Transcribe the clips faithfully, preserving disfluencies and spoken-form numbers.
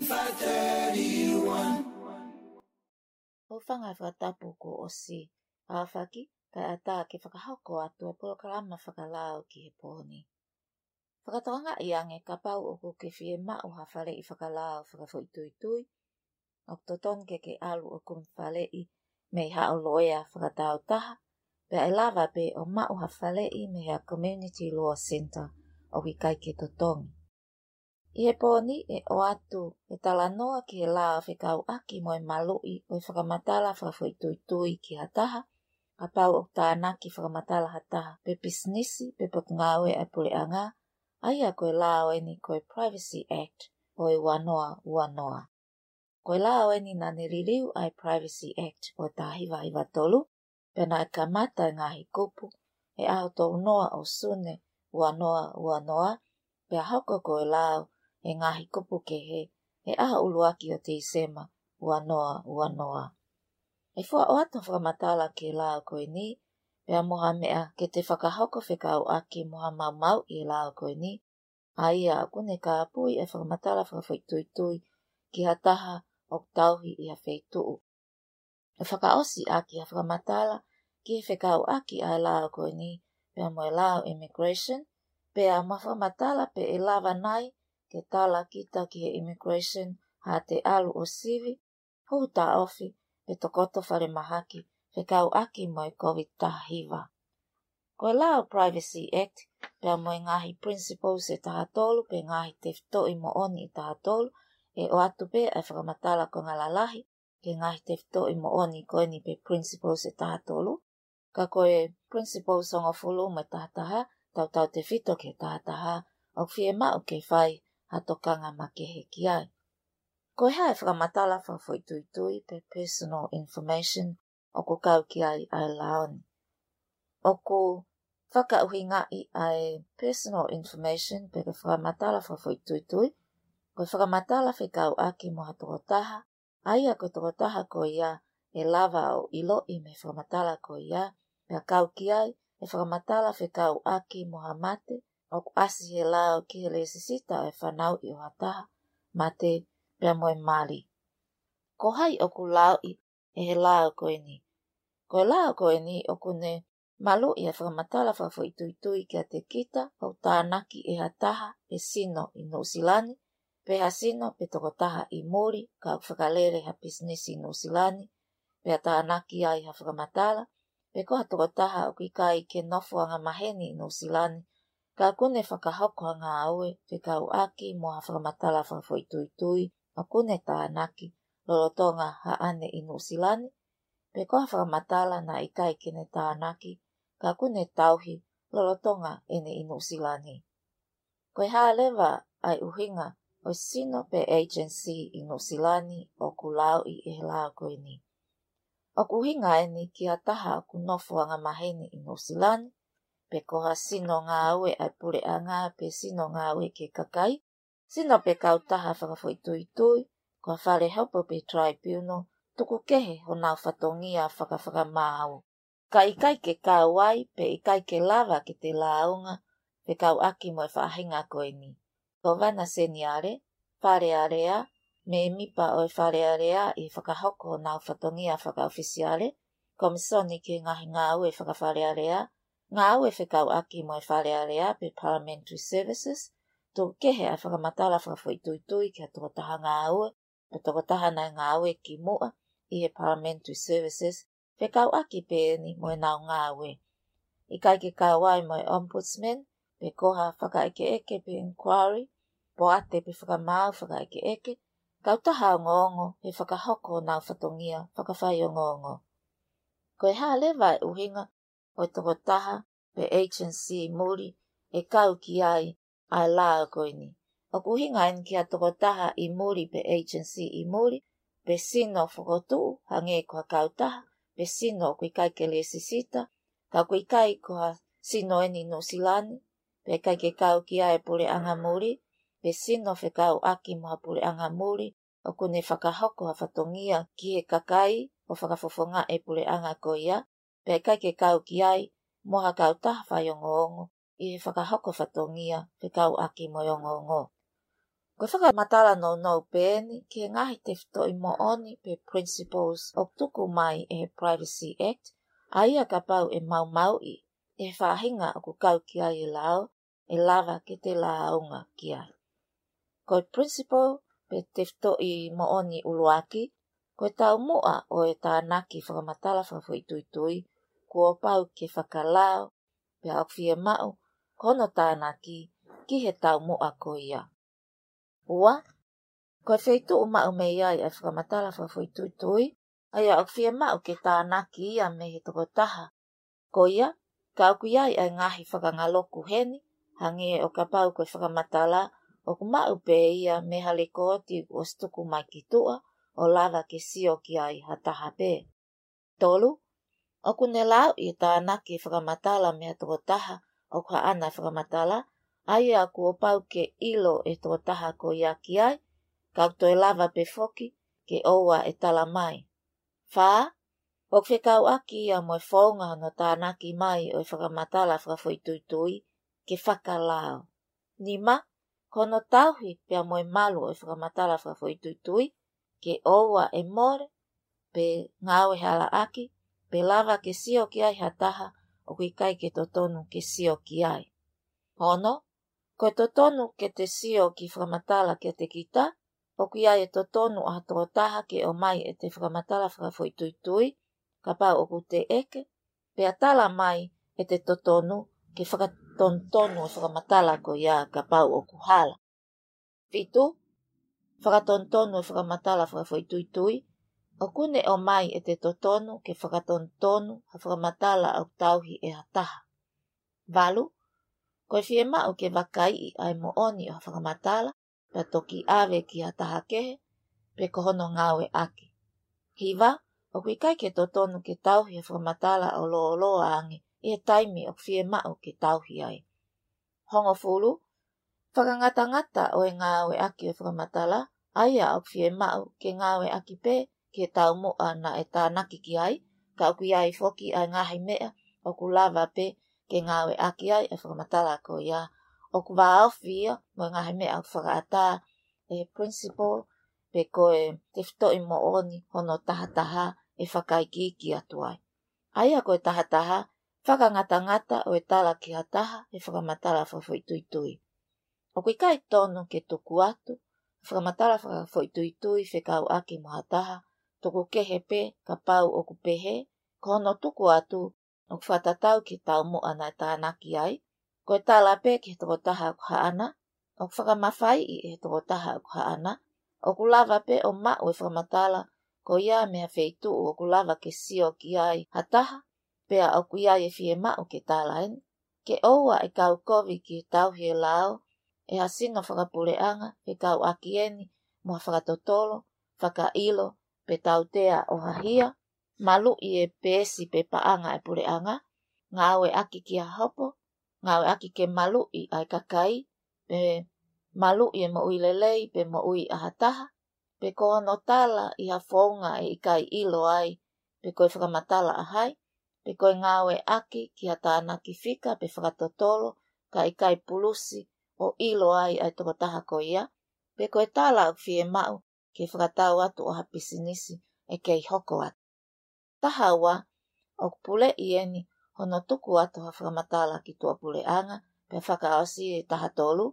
Five thirty-one. ʻOku ou fakaʻamu fakatapu kuo ʻosi ʻaofaki, kae ʻatā ke fakahoko atu e polokalama fakalao ki he pō ni. Fakatokangaʻi ange kapau ʻoku ke fiemaʻu ha faleʻi fakalao fakafoʻituitui, ʻoku totonu ke ke ʻalu ʻo kumi faleʻi mei haʻo loea fakatāutaha, pea ʻe lava pē ʻo maʻu ha faleʻi mei ha Community Law Centre ʻoku ʻikai ke totongi. ʻI he pō ni ʻe ʻoatu e talanoa ki he lao fekauʻaki mo e maluʻi ʻo e fakamatala fakafoʻituitui ki ha taha, kapau ʻoku tānaki fakamatala ha taha pe pisinisi pe potungāue ʻa e puleʻanga, ʻa ia ko e lao eni ko e Privacy Act ʻo e ua noa ua noa. Ko e lao eni naʻa ne liliu ʻa e Privacy Act ʻo e taha hiva hiva tolu, pea naʻe kamata e ngaahi kupu he ʻaho tolu noa ʻo Sune ua noa ua noa, pea hoko ko e lao e ngaahi kupu kehe he ʻaho ʻuluaki ʻo Tīsema ua noa ua noa. ʻE fua ʻoatu ha fakamatala ki he lao ko eni, pea mo ha meʻa ke te fakahoko fekauʻaki mo ha maumauʻi e lao ko eni, ʻa ia ʻoku ne kāpui e fakamatala fakafoʻituitui ki ha taha ʻoku tauhi ʻi ha feituʻu. ʻE fakaʻosi ʻaki ha fakamatala ki he fekauʻaki ʻa e lao ko eni pea mo e lao immigration, pea mo ha fakamatala pe ʻe lava nai ke tala kita ki he immigration haʻate ʻalu ʻo sivi, hū taʻofi pe tokoto falemahaki fekauʻaki mo e Covid taha hiva. Ko e lao Privacy Act pea mo e ngaahi principles ʻe taha tolu pe ngaahi tefitoʻi moʻoni ʻe taha tolu, ʻe ʻoatu pē ʻa e fakamatala konga lalahi ki he ngaahi tefitoʻi moʻoni ko eni pe principles ʻe taha tolu, ka ko e principles hongofulu mo e taha taha, tautautefito ki he taha taha, ʻoku fiemaʻu ke fai ha tokanga makehe ki ai. Ko e hā e fakamatala fakafoʻituitui pe personal information ʻoku kau ki ai ʻa e lao ni? ʻOku fakaʻuhingaʻi ʻa e personal information pe ko e fakamatala fakafoʻituitui ko e fakamatala fekauʻaki mo ha tokotaha, ʻa ia ko e tokotaha ko ia ʻe lava ʻo ʻiloʻi mei he fakamatala ko ia, pea kau ki ai e fakamatala fekauʻaki mo ha mate ʻoku ʻasi he lao ki he lēsisita ʻo e fanauʻi ʻo ha taha mate pea mo e mali. Ko hai ʻoku lauʻi ʻe he lao ko eni? Ko e lao ko eni ʻoku ne maluʻi e fakamatala fakafoʻituitui kiate kita ʻoku tānaki ʻe ha taha e sino ʻi Nuʻusila ni, pe ha sino pe tokotaha ʻi muli ka ʻoku fakalele ha pisinisi ʻi Nuʻusila ni, pea tānaki ai ha fakamatala, pe ko ha tokotaha ʻoku ʻikai ke nofo angamaheni ʻi Nuʻusila ni, ka ʻoku ne fakahoko ha ngāue fekauʻaki mo ha fakamatala fakafoʻituitui ʻoku ne tānaki lolotonga haʻane ʻi Nuʻusila ni, pe ko ha fakamatala naʻe ʻikai ke ne tānaki ka ʻoku ne tauhi lolotonga ʻene ʻi Nuʻusila ni. Ko e hā leva ʻa e ʻuhinga ʻo e sino pe agency ʻi Nuʻusila ni ʻoku lauʻi ʻe he lao ko eni? ʻOku ʻuhinga eni ki ha taha ʻoku nofo angamaheni ʻi Nuʻusila ni, pe ko ha sino ngāue ʻa e puleʻanga pe sino ngāue ki he kakai, sino pe kautaha fakafoʻituitui, ko ha fale hopo pe tribunal, tuku kehe honau fatongia fakafakamaau. Ka ʻikai ke kau ai pe ʻikai ke lava ke te lāunga fekauʻaki mo e faʻahinga ko eni: Kōvana Seniale, Fale Alea, mēmipa ʻo e Fale Alea ʻi he fakahoko honau fatongia fakaʻofisiale, Komisoni ki he Ngaahi Ngāue Fakafalealea, ngāue fekauʻaki mo e Fale Alea pe Parliamentary Services, tuku kehe ʻa e fakamatala fakafoʻituitui ki ha tokotaha ngāue pe tokotaha naʻe ngāue kimuʻa ʻi he Parliamentary Services, fekauʻaki pē eni mo ʻenau ngāue. ʻIkai ke kau ai mo e Ombudsman, pe ko ha fakaʻekeʻeke pe inquiry, poate pe fakamaau fakaʻekeʻeke, kautaha ongoongo he fakahoko honau fatongia fakafaiongoongo. Ko e hā leva e ʻuhinga ʻo e tokotaha pe agency ʻi muli ʻe kau ki ai ʻa e lao ko eni? ʻOku ʻuhinga eni ki ha tokotaha ʻi muli pe agency ʻi muli, pe sino fokotuʻu hangē ko ha kautaha, pe sino ʻoku ʻikai ke lēsisita, ka ʻoku ʻikai ko ha sino eni ʻi Nuʻusila ni, pe ʻikai ke kau ki ai e puleʻanga muli, pe sino fekauʻaki mo ha puleʻanga muli ʻoku ne fakahoko ha fatongia ki he kakai ʻo fakafofongaʻi e puleʻanga ko ia, pea ʻikai ke kau ki ai mo ha kautaha faiongoongo ʻi he fakahoko fatongia fekauʻaki mo e ongoongo. Ko e fakamatala nounou pē eni ki he ngaahi tefitoʻi moʻoni pe principles ʻoku tuku mai ʻe he Privacy Act, ʻa ia kapau ʻe maumauʻi ʻe he faʻahinga ʻoku kau ki ai e lao, ʻe lava ke te lāunga ki ai. Ko e principle pe tefitoʻi moʻoni ʻuluaki, ko e taumuʻa ʻo e tānaki fakamatala fakafoʻituitui, kuo pau ke fakalao, pea ʻoku fiemaʻu ko hono tānaki ki he taumuʻa ko ia. Ua, ko e feituʻu maʻu mei ai ʻa e fakamatala fakafoʻituitui, ʻa ia ʻoku fiemaʻu ke tānaki ia mei he tokotaha ko ia, ka ʻoku ʻi ai ʻa e ngaahi fakangaloku heni, hangē ʻo kapau ko e fakamatala ʻoku maʻu pē ia mei ha lekooti ʻosi tuku mai ki tuʻa, ʻo lava ke sio ki ai ha taha pē. Tolu, ʻoku ne lauʻi e tānaki e fakamatala mei ha tokotaha ʻoku haʻana e fakamatala, ʻa ia kuo pau ke ʻilo ʻe he tokotaha ko ia ki ai, ka ʻoku toe lava pē foki ke ʻoua ʻe tala mai. Fā, ʻoku fekauʻaki ia mo e founga hono tānaki mai ʻo e fakamatala fakafoʻituitui ke fakalao. Nima, ko hono tauhi pea mo e malu ʻo e fakamatala fakafoʻituitui, ke ʻoua ʻe mole, pe ngāue halaʻaki, pe lava ke sio ki ai ha taha ʻoku ʻikai ke totonu ke sio ki ai. Ono, ko e totonu ke te sio ki he fakamatala kiate kita, ʻoku ʻi ai e totonu ʻa ha tokotaha ke ʻomai ʻete fakamatala fakafoʻituitui, kapau ʻoku teʻeki, pea tala mai ʻete totonu ke fakatonutonu e fakamatala ko ia kapau ʻoku hala. Fitu, fakatonutonu e fakamatala fakafoʻituitui, ʻoku ne ʻomai ʻete totonu ke fakatonutonu ha fakamatala ʻoku tauhi ʻe ha taha. Valu, ko e fiemaʻu ke vakaiʻi ʻa e moʻoni ʻo ha fakamatala, pea toki ʻave ki ha taha kehe, pe ko hono ngāueʻaki. Hiva, ʻoku ʻikai ke totonu ke tauhi ha fakamatala ʻo lōloa ange ʻi he taimi ʻoku fiemaʻu ke tauhi ai. Hongofulu, fakangatangata ʻo e ngāueʻaki ʻo e fakamatala, ʻa ia ʻoku fiemaʻu ke ngāueʻaki pē ki he taumuʻa naʻe tānaki ki ai, ka ʻoku ʻi ai foki ʻa e ngaahi meʻa ʻoku lava pē ke ngāueʻaki ai e fakamatala ko ia, ʻoku vāofi ia mo e ngaahi meʻa ʻoku fakaʻatā ʻe he principle pe ko e tefitoʻi moʻoni hono tahataha ʻe fakaikiiki atu ai. ʻA ia ko e tahataha, fakangatangata ʻo e tala ki ha taha e fakamatala fakafoʻituitui. ʻOku ʻikai tonu ke tuku atu e fakamatala fakafoʻituitui fekauʻaki mo ha taha, tuku kehe pē kapau ʻoku pehē ko hono tuku atu ʻoku fakatatau ki he taumuʻa naʻe tānaki ai, ko e tala pē ki he tokotaha ʻoku haʻana, ʻoku fakamafaiʻi ʻe he tokotaha ʻoku haʻana, ʻoku lava pē ʻo maʻu e fakamatala ko ia mei ha feituʻu ʻoku lava ke sio ki ai ha taha, pea ʻoku ʻi ai e fiemaʻu ke tala eni, ke ʻoua ʻe kau kovi ki he tauhi e lao ʻe ha sino fakapuleʻanga fekauʻaki eni mo ha fakatotolo, fakaʻilo, pe tautea ʻo ha hia, maluʻi e peesi pe paʻanga e puleʻanga, ngāueʻaki ki ha hopo, ngāueʻaki ke maluʻi ʻa e kakai, pe maluʻi e moʻui lelei pe moʻui ʻa ha taha, pe ko hono tala ʻi ha founga ʻe ʻikai ʻilo ai pe ko e fakamatala ʻa hai, pe ko e ngāueʻaki ki ha tānaki fika pe fakatotolo ka ʻikai pulusi ʻo ʻilo ai ʻa e tokotaha ko ia, pe ko e tala ʻoku fiemaʻu ke fakatau atu ʻo ha pisinisi ʻe kei hoko atu. Taha ua, ʻoku puleʻi eni hono tuku atu ha fakamatala ki tuʻapuleʻanga, pea fakaʻosi e taha tolu,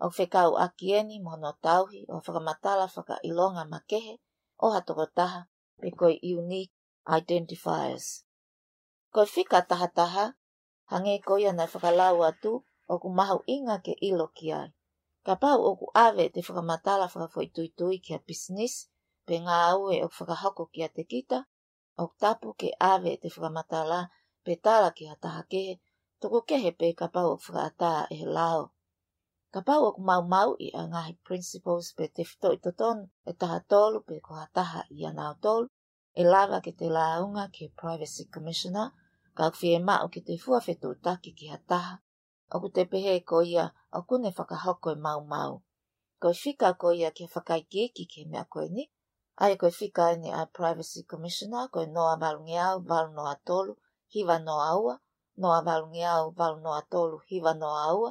ʻoku fekauʻaki eni mo hono tauhi ʻo ha fakamatala fakaʻilonga makehe ʻo ha tokotaha, pe ko e unique identifiers. Ko e fika tahataha, hangē ko ia naʻe fakalau atu, ʻoku mahuʻinga ke ʻilo ki ai. Kapau ʻoku ʻave ʻete fakamatala fakafoʻituitui ki ha pisinisi, pe ngāue ʻoku fakahoko kiate kita, ʻoku tapu ke ʻave ʻete fakamatala pe tala ki ha taha kehe, tuku kehe pē kapau ʻoku fakaʻatā ʻe he lao. Kapau ʻoku maumauʻi ʻa e ngaahi principles pe tefitoʻi totonu ʻe taha tolu pe ko ha taha ʻianautolu, ʻe lava ke te lāunga ki he Privacy Commissioner, ka ʻoku fiemaʻu ke te fua fetuʻutaki ki ha taha ʻoku te pehē ko ia ʻoku ne fakahoko e maumau. Ko e fika ko ia ke fakaikiiki ki he meʻa ko eni, ʻa ia ko e fika eni ʻa e Privacy Commissioner, ko e noa valungeau valu noa tolu hiva noa ua, noa valungeau valu noa tolu hiva noa ua.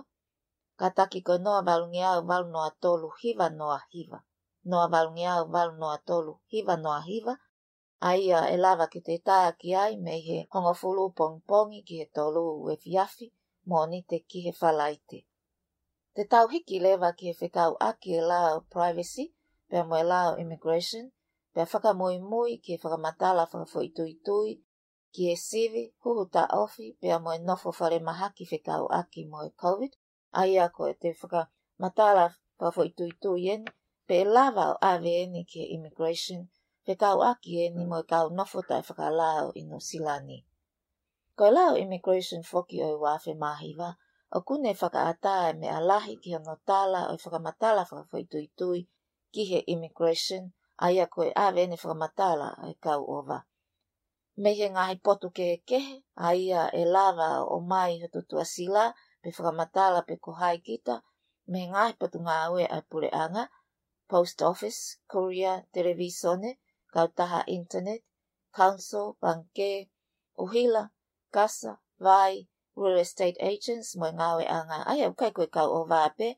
kātaki ko e noa valungeau valu noa tolu hiva noa hiva. Noa valungeau valu noa tolu hiva noa hiva, ʻa ia ʻe lava ke te tā ki ai mei he hongofulu pongipongi ki he tolu efiafi, Mōnite ki he Falaite. Te tau hiki leva ki he fekauʻaki e lao privacy, pea mo e lao immigration, pea fakamuimui ki he fakamatala fakafoʻituitui ki he sivi, huhu taʻofi, pea mo e nofo falemahaki fekauʻaki mo e COVID, ʻa ia ko e te fakamatala fakafoʻituitui eni, pe ʻe lava ʻo ʻave eni ki he immigration, fekauʻaki eni mo e kau nofo taʻefakalao ʻi Nuʻusila ni. Ko e lao immigration foki ʻo e ua afe mā hiva, ʻoku ne fakaʻatā e meʻa lahi ki hono tala ʻo e fakamatala fakafoʻituitui ki he immigration, ʻa ia ko e ʻave eni fakamatala ʻa e kau ʻova. Mei he ngaahi potu kehekehe, ʻa ia ʻe lava ʻo ʻomai hoto tuʻasila, pe fakamatala pe ko hai kita, mei he ngaahi potungāue ʻa e puleʻanga, post office, courier, televīsone, kautaha internet, council, pangikē, ʻuhila, kasa, vai, real estate agents, mo e ngāueʻanga, ʻa ia ʻoku ʻikai ko e kau ʻova pē,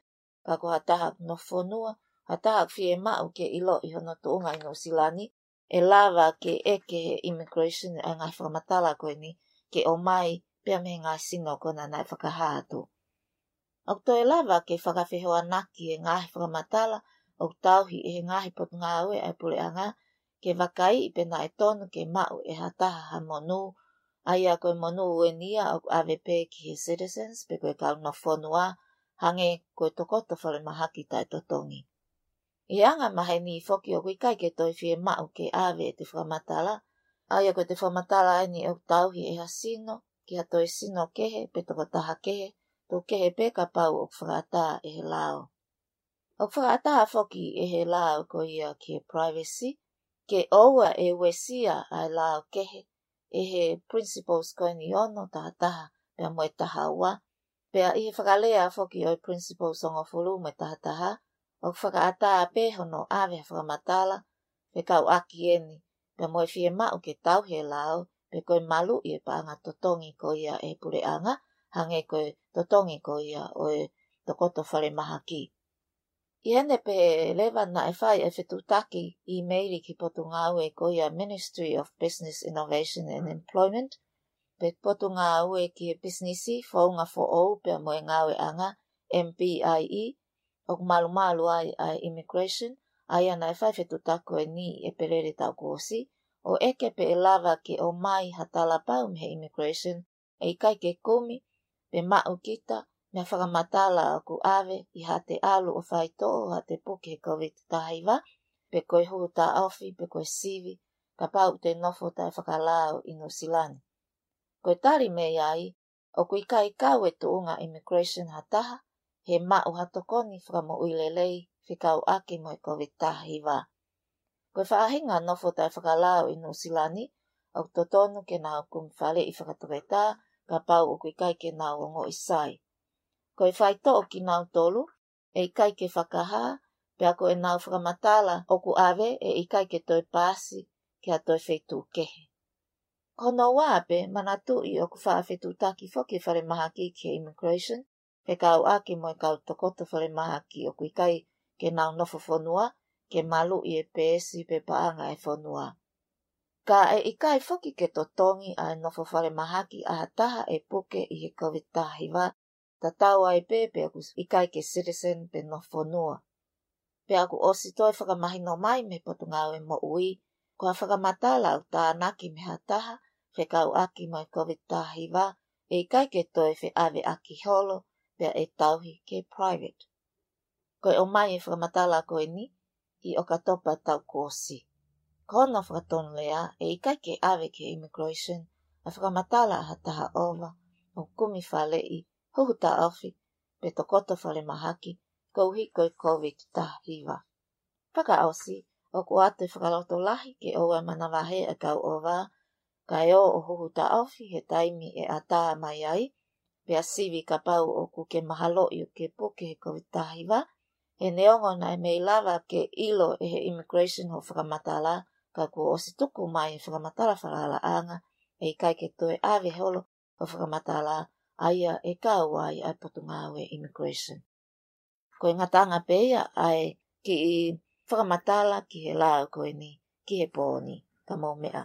ka ko ha taha ʻoku nofo fonua, ha taha ʻoku fiemaʻu ke ʻiloʻi hono tuʻunga ʻi Nuʻusila ni, ʻe lava ke ʻeke he immigration ʻa e ngaahi fakamatala ko eni ke ʻomai pea mei he ngaahi sino ko ena naʻe fakahā atu. ʻOku toe lava ke fakafehoanaki e ngaahi fakamatala ʻoku tauhi ʻe he ngaahi potungāue ʻa e puleʻanga ke vakaiʻi pe naʻe tonu ke maʻu ʻe ha taha ha monū, ʻa ia ko e monū eni ia ʻoku ʻave pē ki he citizens pe ko e kau nofo fonua, hangē ko e tokoto falemahaki taʻetotongi. ʻI he anga maheni foki ʻoku ʻikai ke toe fiemaʻu ke ʻave ʻete fakamatala, ʻa ia ko ʻete fakamatala eni ʻoku tauhi ʻe ha sino ki ha toe sino kehe pe tokotaha kehe, tuku kehe pē kapau ʻoku fakaʻatā ʻe he lao. ʻOku fakaʻatā foki ʻe he lao ko ia ki he privacy, ke ʻoua ʻe uesia ʻa e lao kehe ʻe he principles ko eni ono, taha taha pea mo e taha ua, pea ʻi he fakalea foki ʻo e principles hongofulu mo e taha taha, ʻoku fakaʻatā pē hono ʻave ha fakamatala fekauʻaki eni, pea mo e fiemaʻu ke tauhi e lao, pe ko e maluʻi e paʻanga totongi ko ia ʻe he puleʻanga, hangē ko e totongi ko ia ʻo e tokoto falemahaki. ʻI heʻene pehē leva naʻe fai e fetuʻutaki ʻīmeili ki he potungāue ko ia Ministry of Business, Innovation and Employment, pe potungāue ki he pisinisi, founga foʻou pea mo e ngāueʻanga, M B I E, ʻoku malumalu ai ʻa e immigration, ʻa ia naʻe fai fetuʻutaki ko eni ʻi ʻEpelele taʻu kuo ʻosi, ʻo ʻeke pe ʻe lava ke ʻomai ha talapau mei he immigration ʻe ʻikai ke kumi pe maʻu kita mei he fakamatala ʻoku ʻave ʻi haʻate ʻalu ʻo faitoʻo, haʻate puke he COVID taha hiva, pe ko e huhu taʻofi, pe ko e sivi, kapau te nofo taʻefakalao ʻi Nuʻusila ni. Ko e tali mei ai, ʻoku ʻikai kau e tuʻunga immigration ha taha he maʻu ha tokoni fakamoʻui lelei fekauʻaki mo e COVID taha hiva. Ko e faʻahinga nofo taʻefakalao ʻi Nuʻusila ni, ʻoku totonu ke nau kumi faleʻi fakatoketā, kapau ʻoku ʻikai ke nau ongoʻi sai. Ko e faitoʻo kinautolu ʻe ʻikai ke fakahā, pea ko ʻenau fakamatala ʻoku ʻave ʻe ʻikai ke toe paasi ki ha toe feituʻu kehe. Ko hono ua pē, manatuʻi ʻoku faʻa fetuʻutaki foki e falemahaki ki he immigration fekauʻaki mo e kau tokoto falemahaki ʻoku ʻikai ke nau nofo fonua, ke maluʻi e peesi pe paʻanga e fonua. Ka ʻe ʻikai foki ke totongi ʻa e nofo falemahaki ʻa ha taha ʻe puke ʻi he COVID taha hiva, tatau ai pē pe ʻoku ʻikai ke citizen pe nofo fonua. Pea kuo ʻosi toe fakamahino mai mei he Potungāue Moʻui, ko ha fakamatala ʻoku tānaki mei ha taha fekauʻaki mo e COVID taha hiva, ʻe ʻikai ke toe feʻaveʻaki holo, pea ʻe tauhi ke private. Ko e ʻomai e fakamatala ko eni ʻi ʻOkatopa taʻu kuo ʻosi. Ko hono fakatonulea, ʻe ʻikai ke ʻave ki he immigration ʻa e fakamatala ʻa ha taha ʻova ʻoku kumi faleʻi, huhu taʻofi, pe tokoto falemahaki, koeʻuhi ko e COVID taha hiva. Fakaʻosi, ʻoku ʻoatu e fakalotolahi ke ʻoua ʻe manavahē ʻa e kau ʻova, kae ō ʻo huhu taʻofi he taimi ʻe ʻatā mai ai, pea sivi kapau ʻoku ke mahaloʻi ʻoku ke puke he COVID taha hiva, he neongo naʻe mei lava ke ʻilo ʻe he immigration hoʻo fakamatala, ka kuo ʻosi tuku mai e fakamatala falalaʻanga, ʻe ʻikai ke toe ʻave holo hoʻo fakamatala, ʻa ia ʻe kau ai ʻa e Potungāue Immigration. ko e ngataʻanga pē ia ʻa e kiʻi fakamatala ki he lao ko eni, ki he pō ni, ka mou meʻa.